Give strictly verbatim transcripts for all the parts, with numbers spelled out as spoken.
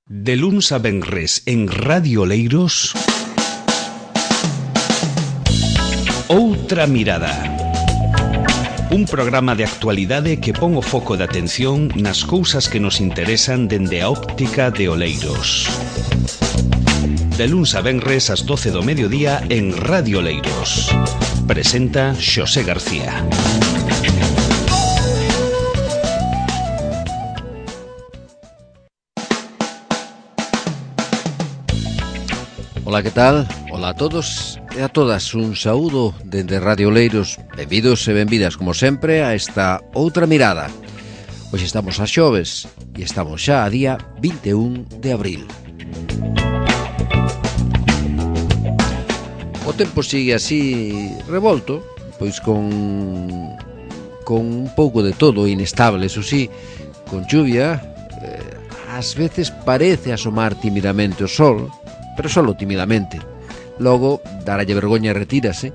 De luns a venres en Radio Oleiros, Outra Mirada. Un programa de actualidade que pon o foco de atención nas cousas que nos interesan dende a óptica de Oleiros. De luns a venres ás doce do mediodía en Radio Oleiros. Presenta Xosé García. Ola, que tal? Ola a todos e a todas, un saúdo dende Radio Oleiros. Benvidos e benvidas, como sempre, a esta Outra Mirada. Hoxe estamos a xoves e estamos xa a día vinte e un de abril. O tempo sigue así revolto, pois con con un pouco de todo, inestable, eso sí, con chuvia. eh, Ás veces parece asomar timidamente o sol, pero solo timidamente. Logo, daralle vergoña e retírase,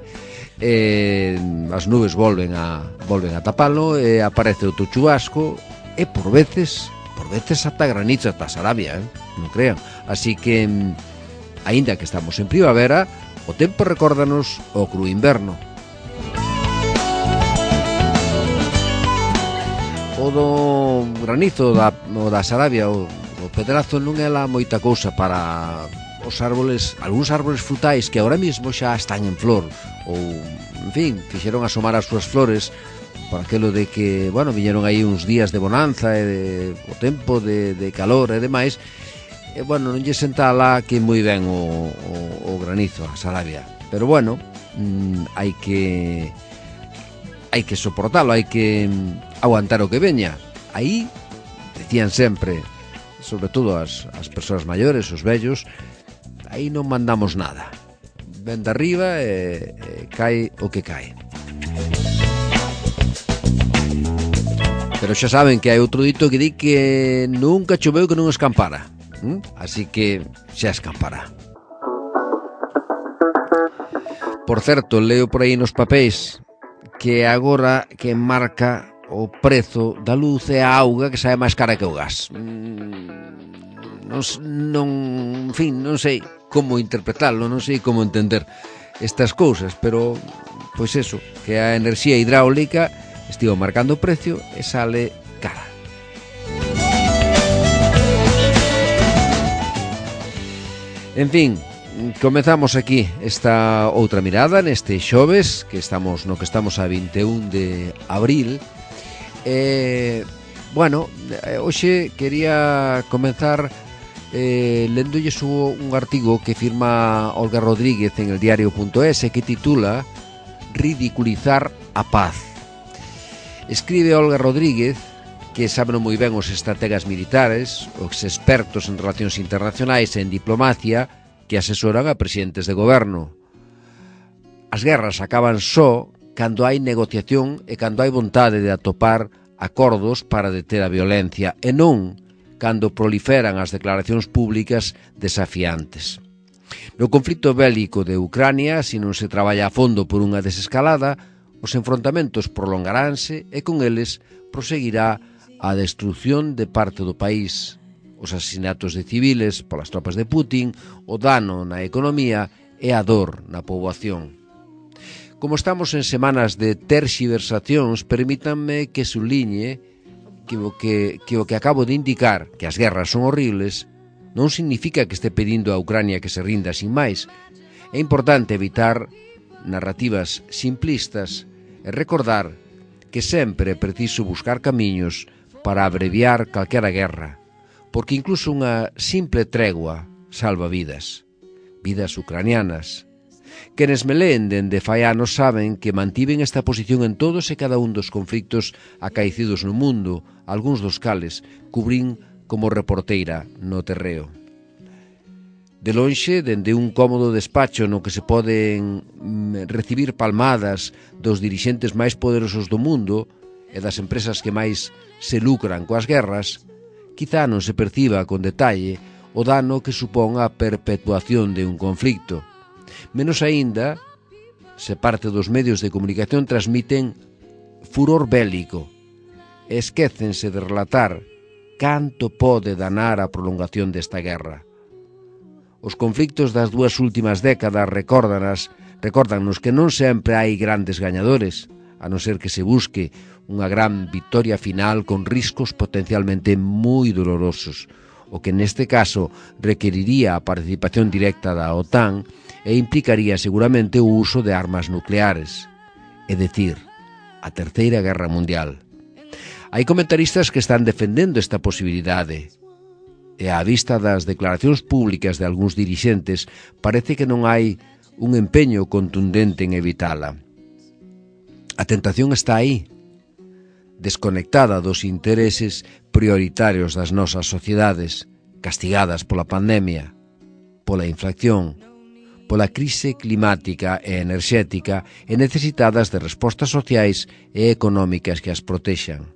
e as nubes volven a volven a tapalo, e aparece outro chubasco, e por veces, por veces ata granizo, ata Sarabia, eh? non crean. Así que, aínda que estamos en primavera, o tempo recórdanos o cru inverno. O do granizo, da, o da Sarabia, o, o pedrazo non é la moita cousa para os árboles, algúns árboles frutais que ahora mismo xa están en flor, ou, en fin, fixeron asomar as súas flores por aquelo de que, bueno, viñeron aí uns días de bonanza e de, o tempo de, de calor e demais, e, bueno, non lle senta lá que moi ben o, o, o granizo, a Sarabia, pero, bueno, mmm, hai que hai que soportalo, hai que aguantar o que veña. Aí, decían sempre, sobre todo as, as persoas maiores, os vellos, aí non mandamos nada. Ven de arriba e, e cae o que cae. Pero xa saben que hai outro dito que di que nunca choveu que non escampara. ¿Mm? Así que xa escampará. Por certo, leo por aí nos papéis que agora que marca o prezo da luz e a auga que sae máis cara que o gas. Non, non, en fin, non sei como interpretarlo, non sei como entender estas cousas, pero, pois eso, que a enerxía hidráulica estivo marcando o precio e sale cara. En fin, comezamos aquí esta outra mirada neste xoves, que estamos no que estamos a vinte e un de abril. E, bueno, hoxe quería comenzar Eh, lendolles un artigo que firma Olga Rodríguez en el diario punto es que titula Ridiculizar a paz. Escribe Olga Rodríguez que saben moi ben os estrategas militares, os expertos en relacións internacionais e en diplomacia que asesoran a presidentes de goberno. As guerras acaban só cando hai negociación e cando hai vontade de atopar acordos para deter a violencia e non cando proliferan as declaracións públicas desafiantes. No conflito bélico de Ucrania, se non se traballa a fondo por unha desescalada, os enfrontamentos prolongaránse e con eles proseguirá a destrucción de parte do país, os asesinatos de civiles polas tropas de Putin, o dano na economía e a dor na poboación. Como estamos en semanas de terxiversacións, permítanme que subliñe Que o que, que o que acabo de indicar, que as guerras son horribles, non significa que este pedindo a Ucrania que se rinda sin máis. É importante evitar narrativas simplistas e recordar que sempre é preciso buscar camiños para abreviar calquera guerra, porque incluso unha simple tregua salva vidas, vidas ucranianas. Quenes me leen dende fai anos saben que mantiven esta posición en todos e cada un dos conflictos acaecidos no mundo, algúns dos cales cubrín como reporteira no terreo. De lonxe, dende un cómodo despacho no que se poden recibir palmadas dos dirixentes máis poderosos do mundo e das empresas que máis se lucran coas guerras, quizá non se perciba con detalle o dano que supón a perpetuación de un conflicto. Menos aínda se parte dos medios de comunicación transmiten furor bélico e esquécense de relatar canto pode danar a prolongación desta guerra. Os conflictos das dúas últimas décadas recórdanas, recórdanos que non sempre hai grandes gañadores, a non ser que se busque unha gran victoria final con riscos potencialmente moi dolorosos, o que neste caso requeriría a participación directa da OTAN e implicaría seguramente o uso de armas nucleares, é dicir, a Terceira Guerra Mundial. Hai comentaristas que están defendendo esta posibilidade, e á vista das declaracións públicas de algúns dirixentes parece que non hai un empeño contundente en evitala. A tentación está aí, desconectada dos intereses prioritarios das nosas sociedades, castigadas pola pandemia, pola inflación, pola crise climática e enerxética e necesitadas de respostas sociais e económicas que as protexan.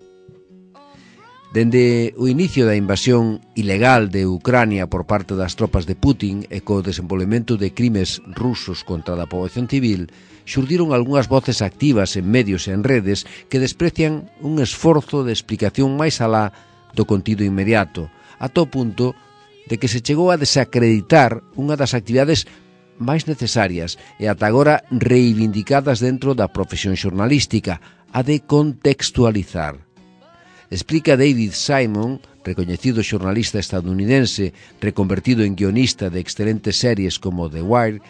Dende o inicio da invasión ilegal de Ucrania por parte das tropas de Putin e co desenvolvemento de crimes rusos contra a poboación civil, xurdiron algunhas voces activas en medios e en redes que desprecian un esforzo de explicación máis alá do contido inmediato, ata o punto de que se chegou a desacreditar unha das actividades máis necesarias e ata agora reivindicadas dentro da profesión xornalística, a de contextualizar. Explica David Simon, recoñecido xornalista estadounidense, reconvertido en guionista de excelentes series como The Wire,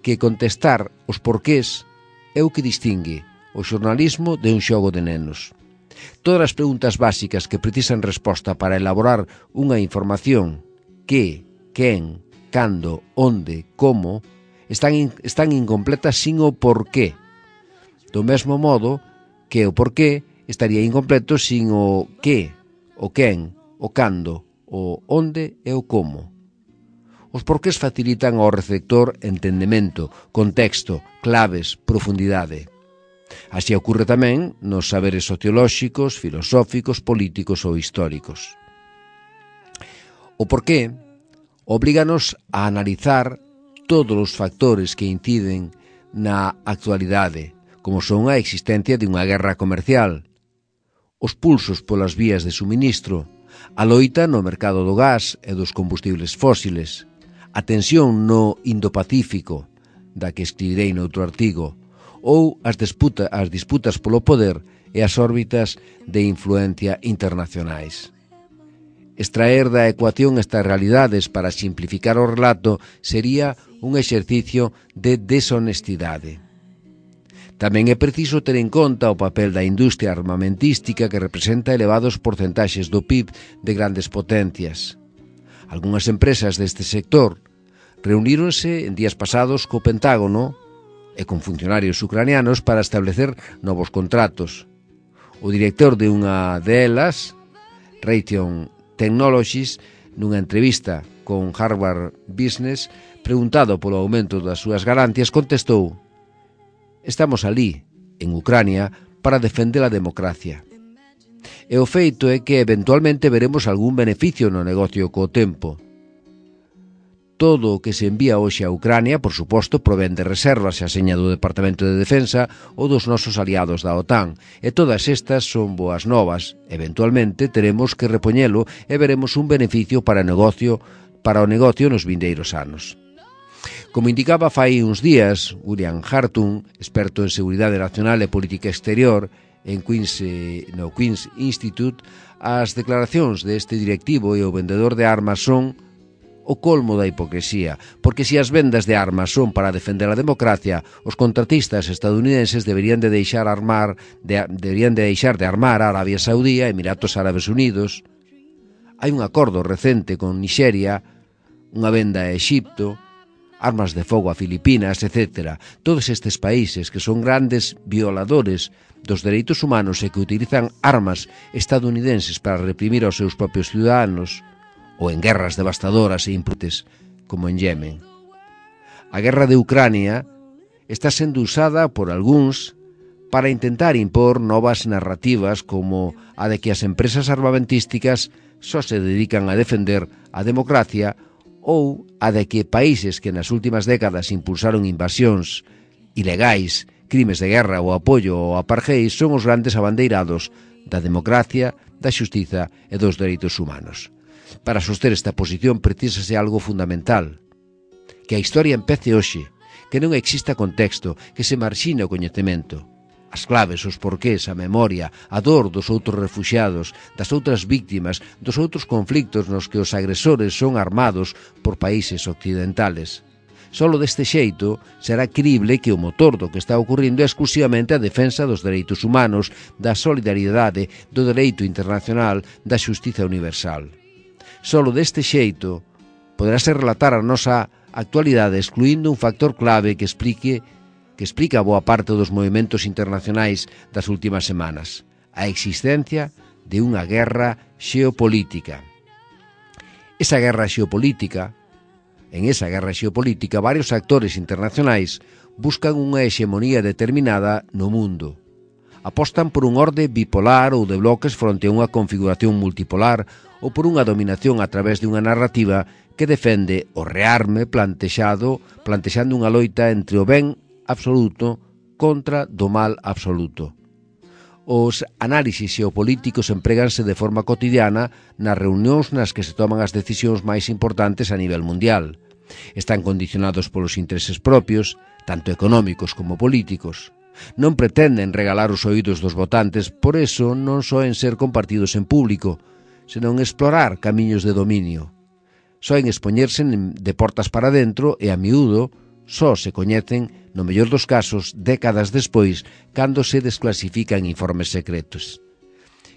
que contestar os porqués é o que distingue o xornalismo de un xogo de nenos. Todas as preguntas básicas que precisan resposta para elaborar unha información, que, quen, cando, onde, como, están, in, están incompletas sin o porqué. Do mesmo modo que o porqué estaría incompleto sin o que, o quen, o cando, o onde e o como. Os porqués facilitan ao receptor entendemento, contexto, claves, profundidade. Así ocorre tamén nos saberes sociolóxicos, filosóficos, políticos ou históricos. O porqué oblíganos a analizar todos os factores que inciden na actualidade, como son a existencia de unha guerra comercial, os pulsos polas vías de suministro, a loita no mercado do gas e dos combustibles fósiles, a tensión no Indo-Pacífico, da que escribirei noutro artigo, ou as disputas, as disputas polo poder e as órbitas de influencia internacionais. Extraer da ecuación estas realidades para simplificar o relato sería un exercicio de deshonestidade. Tamén é preciso ter en conta o papel da industria armamentística que representa elevados porcentaxes do P I B de grandes potencias. Algúnas empresas deste sector reuníronse en días pasados co Pentágono e con funcionarios ucranianos para establecer novos contratos. O director de unha delas, Raytheon Technologies, nunha entrevista con Harvard Business, preguntado polo aumento das súas garantías, contestou: estamos ali, en Ucrania, para defender a democracia. E o feito é que eventualmente veremos algún beneficio no negocio co tempo. Todo o que se envía hoxe a Ucrania, por suposto, provén de reservas a seña do Departamento de Defensa ou dos nosos aliados da OTAN, e todas estas son boas novas. Eventualmente teremos que repoñelo e veremos un beneficio para o negocio, para o negocio nos vindeiros anos. Como indicaba fai uns días William Hartung, experto en Seguridade Nacional e Política Exterior en Queen's, no Queen's Institute, as declaracións deste directivo e o vendedor de armas son o colmo da hipocresía, porque se as vendas de armas son para defender a democracia, os contratistas estadounidenses deberían de deixar armar de, deberían de deixar de armar a Arabia Saudí e Emiratos Árabes Unidos. Hai un acordo recente con Nixeria, unha venda a Exipto, armas de fogo a Filipinas, etcétera. Todos estes países que son grandes violadores dos dereitos humanos e que utilizan armas estadounidenses para reprimir aos seus propios ciudadanos, ou en guerras devastadoras e imputes, como en Yemen. A guerra de Ucrania está sendo usada por algúns para intentar impor novas narrativas como a de que as empresas armamentísticas só se dedican a defender a democracia ou a de que países que nas últimas décadas impulsaron invasións ilegais, crimes de guerra ou apoio ao apartheid son os grandes abandeirados da democracia, da xustiza e dos dereitos humanos. Para soster esta posición precisase algo fundamental, que a historia empece hoxe, que non exista contexto, que se marxine o coñecemento. As claves, os porqués, a memoria, a dor dos outros refuxiados, das outras víctimas, dos outros conflictos nos que os agresores son armados por países occidentales. Solo deste xeito será crible que o motor do que está ocorrendo é exclusivamente a defensa dos dereitos humanos, da solidariedade, do dereito internacional, da xustiza universal. Solo deste xeito poderase relatar a nosa actualidade excluindo un factor clave que explique que explica boa parte dos movimentos internacionais das últimas semanas, a existencia de unha guerra xeopolítica. Esa guerra xeopolítica, en esa guerra xeopolítica, varios actores internacionais buscan unha hexemonía determinada no mundo. Apostan por un orde bipolar ou de bloques fronte a unha configuración multipolar ou por unha dominación a través de unha narrativa que defende o rearme plantexado, plantexando unha loita entre o ben absoluto contra do mal absoluto. Os análisis xeopolíticos empréganse de forma cotidiana nas reunións nas que se toman as decisións máis importantes a nivel mundial. Están condicionados polos intereses propios, tanto económicos como políticos. Non pretenden regalar os oídos dos votantes, por eso non soen ser compartidos en público, senón explorar camiños de dominio. Soen expoñerse de portas para dentro e a miúdo só se coñecen, no mellor dos casos, décadas despois, cando se desclasifican informes secretos.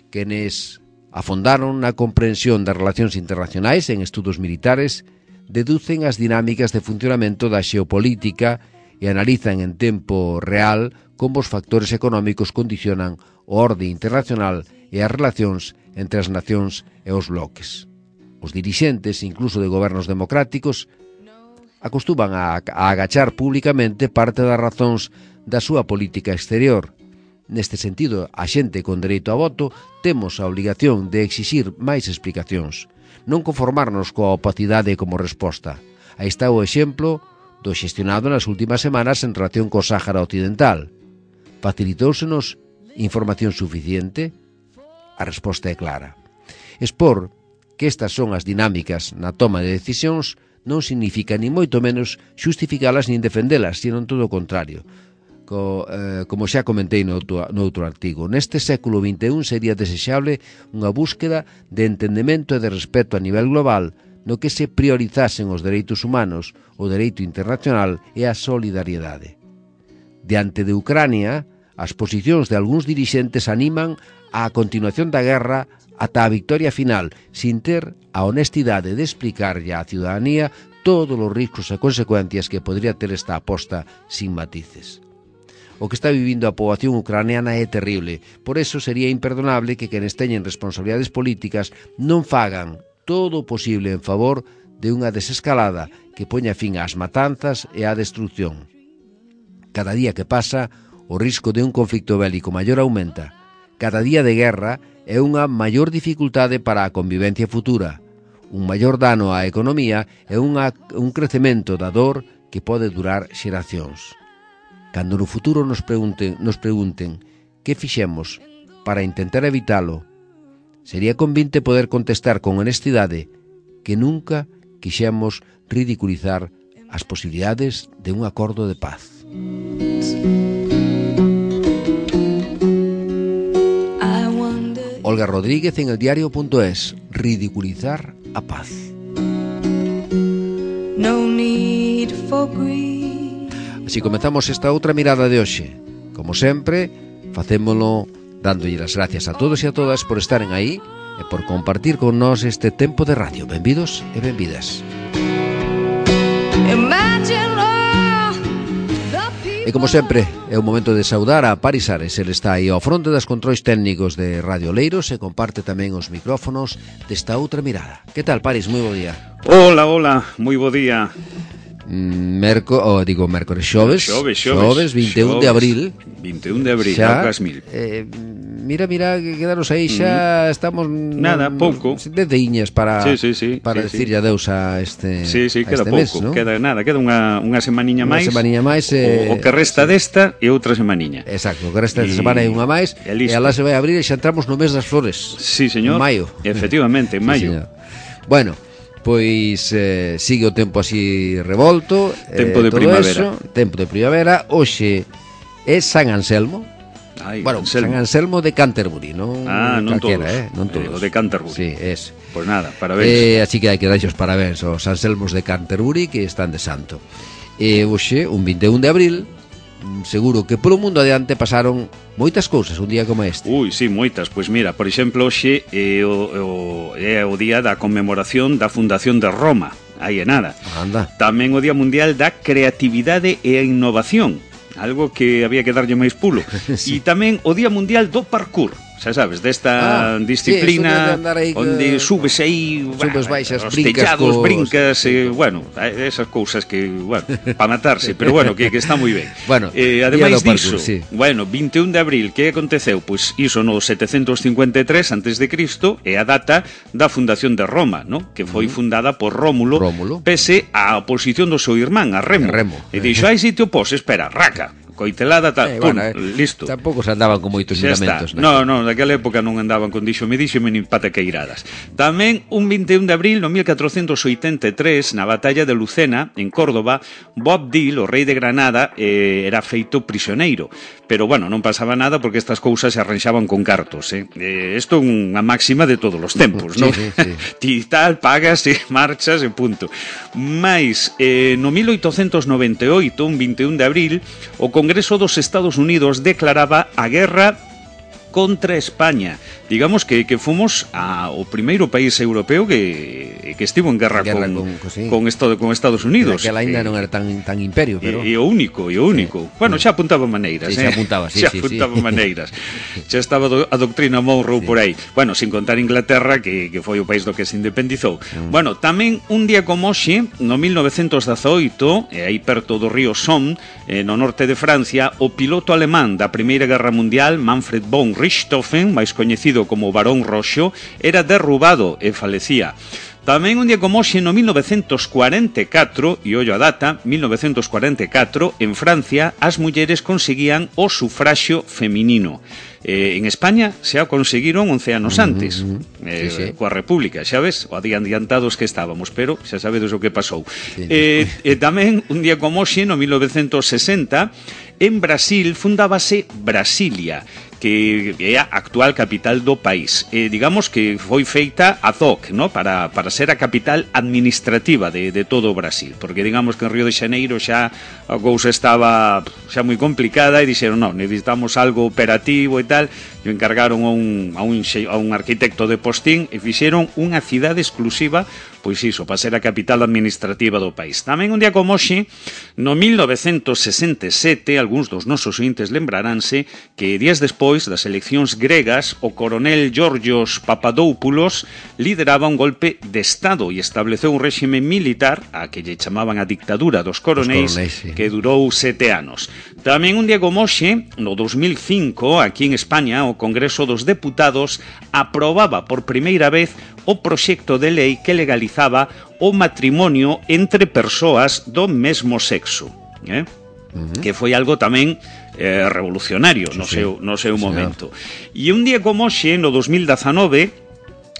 Quenes afondaron na comprensión das relacións internacionais en estudos militares deducen as dinámicas de funcionamento da xeopolítica e analizan en tempo real como os factores económicos condicionan o orde internacional e as relacións entre as nacións e os bloques. Os dirixentes, incluso de gobernos democráticos, acostuman a, a agachar públicamente parte das razóns da súa política exterior. Neste sentido, a xente con dereito a voto temos a obrigación de exixir máis explicacións, non conformarnos coa opacidade como resposta. Aí está o exemplo do xestionado nas últimas semanas en relación co Sáhara Occidental. Facilitóusenos información suficiente? A resposta é clara. Expor que estas son as dinámicas na toma de decisións non significa ni moito menos xustificalas nin defendelas, sino todo o contrario. Co, eh, como xa comentei no outro, no outro artigo, neste século vinte e un sería desexable unha búsqueda de entendemento e de respeto a nivel global no que se priorizasen os dereitos humanos, o dereito internacional e a solidariedade. Diante de Ucrania, as posicións de algúns dirixentes animan a continuación da guerra ata a victoria final, sin ter a honestidade de explicarlle á ciudadanía todos os riscos e consecuencias que podría ter esta aposta sin matices. O que está vivindo a poboación ucraniana é terrible, por eso sería imperdonable que quenes teñen responsabilidades políticas non fagan todo o posible en favor de unha desescalada que poña fin ás matanzas e á destrucción. Cada día que pasa, o risco de un conflicto bélico maior aumenta. Cada día de guerra é unha maior dificultade para a convivencia futura, un maior dano á economía e unha, un crecemento da dor que pode durar xeracións. Cando no futuro nos pregunten, nos pregunten que fixemos para intentar evitalo, sería convinte poder contestar con honestidade que nunca quixemos ridiculizar as posibilidades de un acordo de paz. Olga Rodríguez en el diario punto es. Ridiculizar a paz. No need for greed. Así comezamos esta outra mirada de hoxe. Como sempre, facémolo dándolle as gracias a todos e a todas por estaren aí e por compartir con nós este tempo de radio. Benvidos e benvidas. E como sempre, é o momento de saudar a Paris Ares. Ele está aí ao fronte das controis técnicos de Radio Oleiros e comparte tamén os micrófonos desta outra mirada. Que tal, Paris? Moi bo día. Hola, hola, moi bo día. Merco, oh, digo, mércores, xoves, xoves, xoves, vinte e un de abril. vinte e un de abril, xa, mil. Eh, mira, mira, que quedaros aí xa, mm. estamos... Nada, no, pouco. De diñas para, sí, sí, sí, para sí, decirlle sí. adeus a este Sí, sí, a queda este pouco, mes, ¿no? Queda nada, queda unha, unha semaniña máis. Unha semaniña máis. Eh, o, o que resta sí. desta e outra semaniña. Exacto, o que resta desta semana é unha máis. E, e alá se vai abrir e xa entramos no mes das flores. Sí, señor. En maio. Efectivamente, en maio. Sí, bueno, pois eh, sigue o tempo así revolto, tempo eh, de primavera. Eso, tempo de primavera. Hoxe é San Anselmo. Ai, bueno, Anselmo. San Anselmo de Canterbury, non? Ah, non calquera, todos. Eh? Non todos. Eh, o de Canterbury. Sí, es. Pois pues nada, parabéns. Eh, así que hai que darlle os parabéns aos Anselmos de Canterbury que están de santo. E hoxe, un vinte e un de abril, seguro que polo mundo adiante pasaron moitas cousas un día como este. Ui, sí, moitas. Pois mira, por exemplo, hoxe é o, o, é o día da conmemoración da fundación de Roma. Aí é nada. Anda. Tamén o Día Mundial da Creatividade e a Innovación, algo que había que darlle máis pulo. Sí. E tamén o Día Mundial do Parkour. Xa sabes, desta ah, disciplina sí, aí, onde subes aí, subes, baixas, os brincas, tellados, cos... brincas, eh, bueno, esas cousas que, bueno, para matarse, pero bueno, que, que está moi ben. Bueno, eh, ademais diso, sí. Bueno, vinte e un de abril, que aconteceu? Pois iso no setecentos cincuenta e tres antes de Cristo, é a data da fundación de Roma, ¿no? Que foi fundada por Rómulo, Rómulo. pese á oposición do seu irmán, a Remo. Remo. E dixo, ai, si te opós, espera, raca. Coitelada, tal, eh, pum, bueno, eh, listo. Tampouco se andaban con moitos miramentos. No, no, naquela época non andaban con dixo me dixo nin pataqueiradas. Tamén un vinte e un de abril no mil catrocentos oitenta e tres, na batalla de Lucena, en Córdoba, Bob Dil, o rei de Granada, eh, era feito prisioneiro. Pero, bueno, non pasaba nada porque estas cousas se arranxaban con cartos, eh? eh isto é unha máxima de todos os tempos, non? Sí, sí, sí. Ti tal, pagas e marchas e punto. Mais, eh, no mil oitocentos noventa e oito, un vinte e un de abril, o Congreso dos Estados Unidos declaraba a guerra contra España. Digamos que, que fomos a, o primeiro país europeo que, que estivo en guerra, guerra con, con, sí. con, estado, con Estados Unidos. Que ainda eh, non era tan, tan imperio, pero... E, e o único, e o único. Sí. Bueno, xa apuntaba maneiras, sí, eh? xa apuntaba, sí, xa sí, apuntaba sí. maneiras. Xa estaba do, a doctrina Monroe sí. por aí. Bueno, sin contar Inglaterra, que, que foi o país do que se independizou. Mm. Bueno, tamén un día como hoxe, no mil novecentos dezaoito, e aí perto do río Somme, eh, no norte de Francia, o piloto alemán da Primeira Guerra Mundial, Manfred von Richthofen, máis coñecido como Barón Roxo, era derrubado e falecía. Tamén un día como hoxe, no mil novecentos cuarenta e catro, e ollo a data, mil novecentos cuarenta e catro, en Francia, as mulleres conseguían o sufraxio feminino. Eh, en España xa o conseguiron once anos antes, mm-hmm. eh, sí, sí. coa República, xa ves, o adiantados que estábamos, pero xa sabedes o que pasou. Sí, eh, e tamén un día como hoxe, no mil novecentos sesenta, en Brasil fundábase Brasilia, que é a actual capital do país. Eh, digamos que foi feita ad hoc, ¿no? para, para ser a capital administrativa de, de todo o Brasil, porque digamos que en Río de Xaneiro xa a cousa estaba xa moi complicada e dixeron, non, necesitamos algo operativo e tal, e encargaron a un, a un, a un arquitecto de postín e fixeron unha cidade exclusiva, pois iso, para ser a capital administrativa do país. Tamén un día como hoxe, no mil novecentos sesenta e sete, algúns dos nosos ointes lembraránse que días despois das eleccións gregas, o coronel Georgios Papadopoulos lideraba un golpe de Estado e estableceu un réxime militar, a que lle chamaban a dictadura dos coronéis, coronéis sí. que durou sete anos. Tamén un día como hoxe, no dos mil cinco, aquí en España, o Congreso dos Deputados aprobaba por primeira vez o proxecto de lei que legalizaba o matrimonio entre persoas do mesmo sexo, eh? Uh-huh. Que foi algo tamén eh, revolucionario sí, no seu, no seu sí, momento. E un día como hoxe, no dos mil dezanove,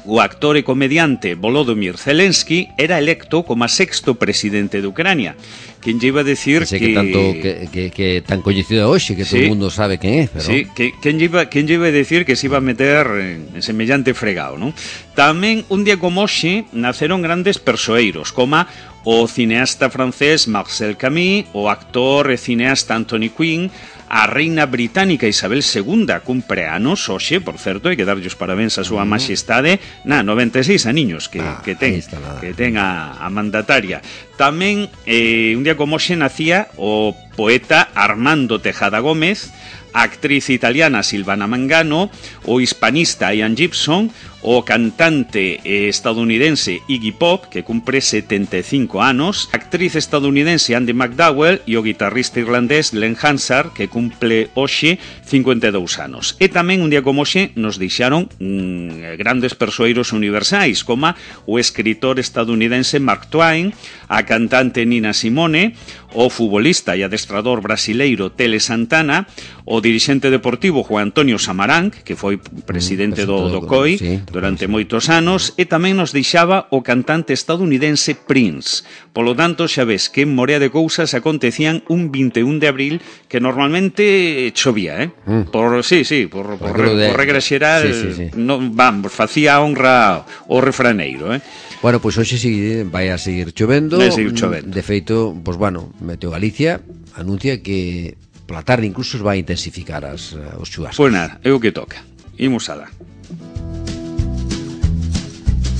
o actor e comediante Volodymyr Zelensky era electo como a sexto presidente de Ucrania. Quen lle iba a decir que... que... tanto que, que, que tan coñecido hoxe, que sí, todo o mundo sabe quen é, pero... Sí, que, quen lle iba, quen lle iba a decir que se iba a meter en, en semellante fregado, non? Tamén, un día como hoxe, naceron grandes persoeiros, como o cineasta francés Marcel Camus, o actor e cineasta Anthony Quinn, a reina británica Isabel segunda cumpre anos hoxe, por certo, hai que darlle os parabéns a súa majestade, na noventa e seis aniños que, ah, que ten, que ten a, a mandataria. Tamén, eh, un día como hoxe nacía o poeta Armando Tejada Gómez, a actriz italiana Silvana Mangano, o hispanista Ian Gibson, o cantante estadounidense Iggy Pop, que cumpre setenta e cinco anos, a actriz estadounidense Andy McDowell e o guitarrista irlandés Glenn Hansard, que cumple hoxe cincuenta e dous anos. E tamén un día como hoxe nos deixaron mmm, grandes persoeiros universais, como o escritor estadounidense Mark Twain, a cantante Nina Simone, o futbolista e adestrador brasileiro Tele Santana, o dirixente deportivo Juan Antonio Samaranch, que foi presidente do, do C O I sí, durante moitos anos, e tamén nos deixaba o cantante estadounidense Prince. Polo tanto, xa ves que en morea de cousas acontecían un vinte e un de abril que normalmente chovía, eh? Mm. Por, sí, sí, por, por, por, de... por regra xeral, sí, sí, sí. No, vamos, facía honra o refraneiro, eh? Bueno, pois pues hoxe sí vai a seguir chovendo. Vai a seguir chovendo. De feito, pois pues, bueno, Meteo Galicia anuncia que pola tarde incluso vai intensificar as, os chuvascos. Pois nada, é o que toca. Imos a dar.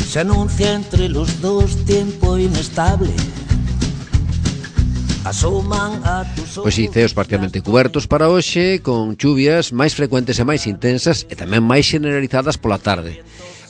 Se anuncia entre los dos tiempo inestable. Asoman a tus ojos. Pois si, ceos parcialmente cubertos para hoxe, con chuvias máis frecuentes e máis intensas e tamén máis generalizadas pola tarde.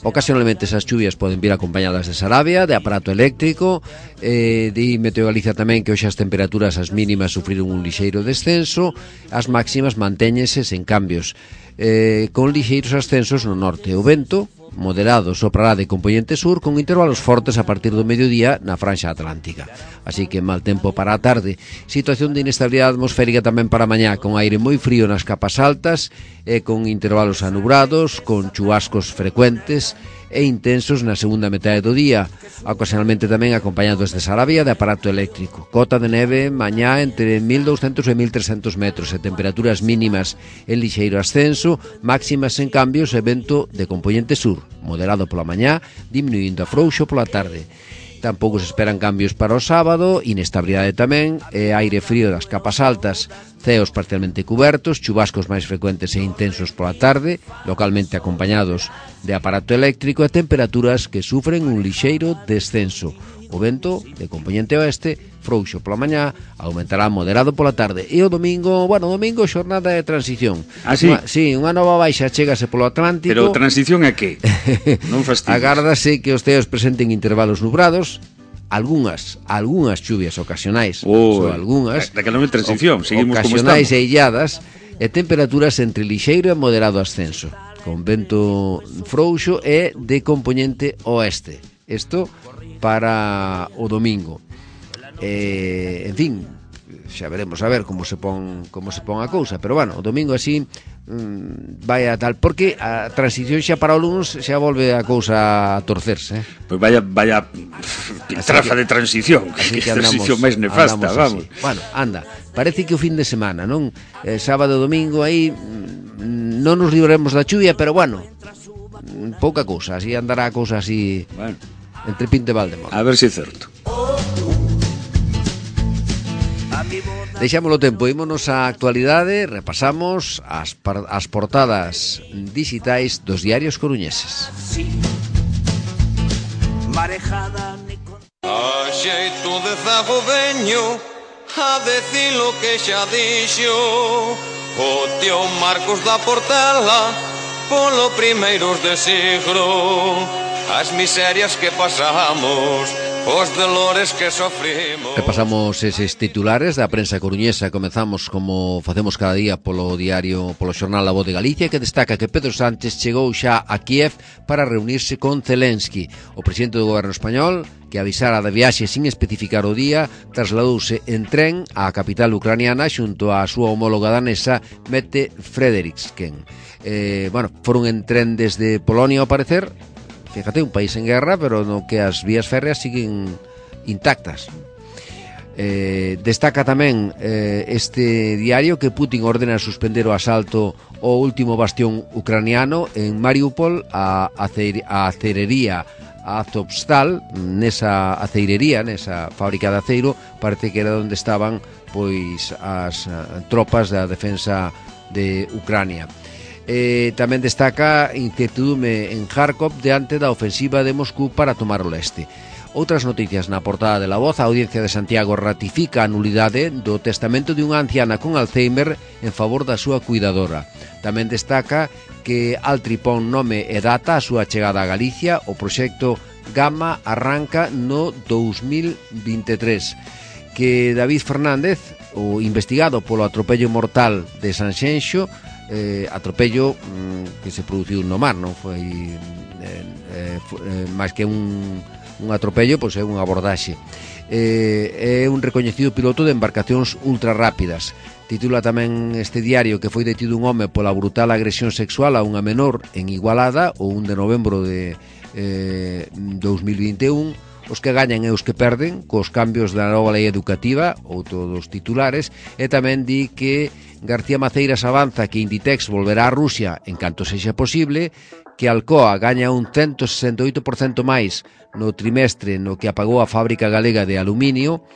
Ocasionalmente esas chuvias poden vir acompañadas de sarabia, de aparato eléctrico, eh, di Meteo Galicia tamén que hoxe as temperaturas as mínimas sufriron un lixeiro descenso, as máximas mantéñense sen cambios, eh, con lixeiros ascensos no norte. O vento moderado soprará de componente sur con intervalos fortes a partir do mediodía na franxa atlántica. Así que mal tempo para a tarde. Situación de inestabilidade atmosférica tamén para mañá, con aire moi frío nas capas altas e con intervalos anubrados, con chubascos frecuentes e intensos na segunda metade do día, ocasionalmente tamén acompañados de sarabia de aparato eléctrico. Cota de neve mañá entre mil douscentos e mil trescentos metros e temperaturas mínimas en lixeiro ascenso, máximas en cambios e vento de componente sur, moderado pola mañá, diminuindo a frouxo pola tarde. Tampouco se esperan cambios para o sábado, inestabilidade tamén, e aire frío das capas altas, ceos parcialmente cubertos, chubascos máis frecuentes e intensos pola tarde, localmente acompañados de aparato eléctrico e temperaturas que sufren un lixeiro descenso. O vento, de componente oeste, frouxo pola mañá, aumentará moderado pola tarde. E o domingo, bueno, domingo xornada de transición. Ah, sí? Unha, sí, unha nova baixa chégase polo Atlántico. Pero transición a que? Non fastidies. Agárdase que os ceos presenten intervalos nubrados, algunhas, algunhas chuvias ocasionais, oh, só algunhas, daquela non é transición, seguimos ocasionais como e illadas, e temperaturas entre lixeiro e moderado ascenso, con vento frouxo e de componente oeste. Isto para o domingo. Eh, en fin, xa veremos a ver como se pon como se pon a cousa, pero bueno, o domingo así mmm, vai a tal, porque a transición xa para o lunes xa volve a cousa a torcerse, eh? Pois pues vaya vaya trafa de transición, así que, que andamos, transición máis nefasta, vamos. Así. Bueno, anda, parece que o fin de semana, non? Eh, sábado e domingo aí mmm, non nos libraremos da chuvia, pero bueno, pouca cousa, así andará a cousa así, bueno, entre Pinto e Valdemoro. A ver se si é certo. Deixámoslo tempo, ímonos á actualidade, repasamos as, as portadas digitais dos diarios coruñeses. A xeito de zago veño a decir lo que xa dixo o tío Marcos da Portela polo primeiros de siglo, as miserias que pasamos, os dolores que sofrimos. Repasamos eses titulares da prensa coruñesa. Comezamos como facemos cada día polo diario, polo xornal La Voz de Galicia, que destaca que Pedro Sánchez chegou xa a Kiev para reunirse con Zelensky. O presidente do goberno español, que avisara de viaxe sin especificar o día, trasladouse en tren á capital ucraniana xunto á súa homóloga danesa Mette Frederiksen. Eh, bueno, foron en tren desde Polonia ao parecer. Fíjate, un país en guerra, pero no que as vías férreas siguen intactas. Eh, destaca tamén eh, este diario que Putin ordena suspender o asalto ao último bastión ucraniano en Mariupol, a, acer, a acerería Azovstal. Nesa aceirería, nesa fábrica de aceiro, parece que era onde estaban pois as uh, tropas da defensa de Ucrania. Eh, tamén destaca incertidume en Kharkov diante da ofensiva de Moscú para tomar o leste. Outras noticias na portada de La Voz: a Audiencia de Santiago ratifica a nulidade do testamento de unha anciana con Alzheimer en favor da súa cuidadora. Tamén destaca que Altri pon nome e data a súa chegada a Galicia. O proxecto Gama arranca no dous mil vinte e tres. Que David Fernández, o investigado polo atropello mortal de Sanxenxo, eh, atropello mm, que se produciu no mar, non foi eh, eh, máis que un un atropello, pois é unha abordaxe. Eh, é un recoñecido piloto de embarcacións ultrarrápidas. Titula tamén este diario que foi detido un home pola brutal agresión sexual a unha menor en Igualada o un de novembro de eh, dous mil vinte e un. Os que gañan e os que perden cos cambios da nova lei educativa, outro dos titulares. E tamén di que García Maceiras avanza que Inditex volverá a Rusia en canto sexa posible, que Alcoa gaña un cento sesenta e oito por cento máis no trimestre no que apagou a fábrica galega de aluminio,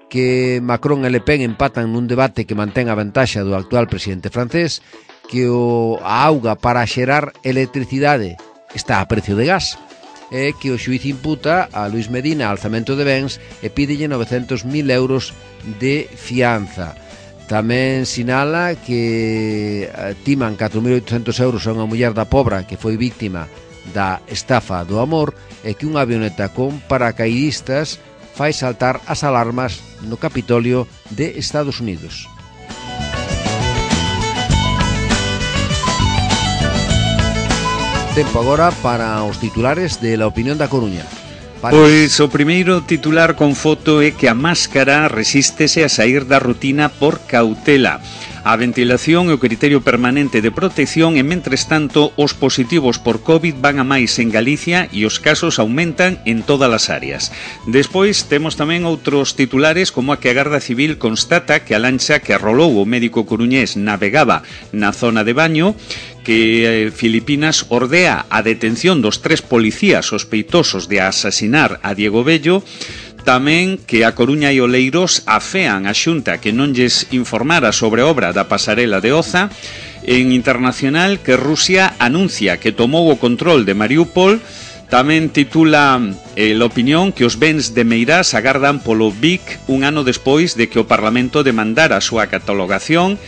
que Macron e Le Pen empatan nun debate que mantén a ventaxa do actual presidente francés, que o, a auga para xerar electricidade está a precio de gas, e que o xuíz imputa a Luis Medina alzamento de bens e pídelle novecentos mil euros de fianza. Tamén sinala que timan catro mil oitocentos euros a unha muller da Pobra que foi víctima da estafa do amor, e que unha avioneta con paracaidistas fai saltar as alarmas no Capitolio de Estados Unidos. Tempo agora para os titulares de La Opinión da Coruña. Pois o primeiro titular con foto é que a máscara resístese a sair da rutina por cautela. A ventilación e o criterio permanente de protección, e mentres tanto os positivos por COVID van a máis en Galicia e os casos aumentan en todas as áreas. Despois temos tamén outros titulares, como a que a Garda Civil constata que a lancha que arrolou o médico coruñés navegaba na zona de Baño, que Filipinas ordea a detención dos tres policías sospeitosos de asasinar a Diego Bello. Tamén que a Coruña e Oleiros afean a Xunta que non lles informara sobre a obra da pasarela de Oza. En internacional, que Rusia anuncia que tomou o control de Mariupol. Tamén titula eh, La Opinión que os bens de Meirás agardan polo B I C un ano despois de que o Parlamento demandara a súa catalogación.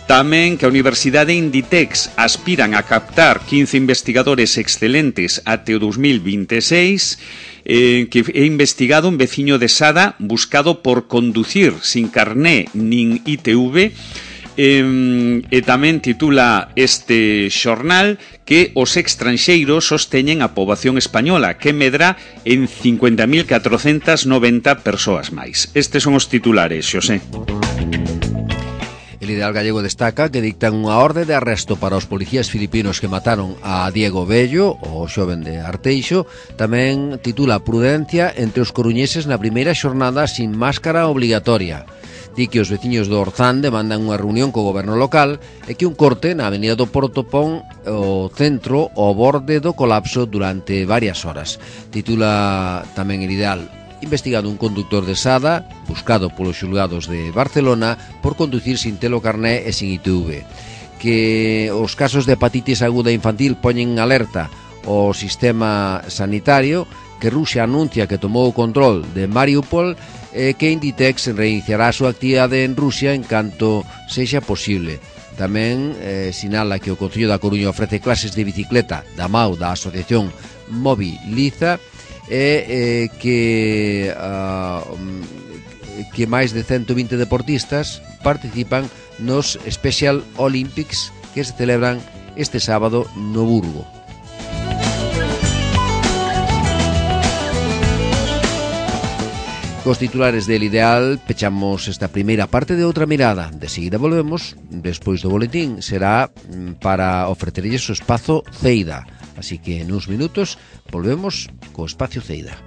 Tamén que a Universidade Inditex aspiran a captar quince investigadores excelentes até o dous mil vinte e seis, eh, que é investigado un veciño de Sada buscado por conducir sin carné nin I T V. Eh, e tamén titula este xornal que os extranxeiros sosteñen a poboación española, que medra en cincuenta mil catrocentas noventa persoas máis. Estes son os titulares, Xosé. El Ideal Gallego destaca que dictan unha orde de arresto para os policías filipinos que mataron a Diego Bello, o xoven de Arteixo. Tamén titula Prudencia entre os coruñeses na primeira xornada sin máscara obligatoria. Di que os veciños do Orzán demandan unha reunión co goberno local e que un corte na avenida do Porto pon o centro ao borde do colapso durante varias horas. Titula tamén El Ideal: investigado un conductor de Sada, buscado polos xulgados de Barcelona por conducir sin telo carné e sin I T V. Que os casos de hepatitis aguda infantil poñen en alerta o sistema sanitario, que Rusia anuncia que tomou o control de Mariupol e que Inditex reiniciará a súa actividade en Rusia en canto sexa posible. Tamén eh, sinala que o Concello da Coruña ofrece clases de bicicleta da M A U da Asociación Moviliza, e eh, que uh, que máis de cento vinte deportistas participan nos Special Olympics que se celebran este sábado no Burgo. Cos titulares del Ideal pechamos esta primeira parte de Outra Mirada. De seguida volvemos, despois do boletín será para ofrecerlles o espazo Ceida. Así que en uns minutos volvemos co espacio Ceida.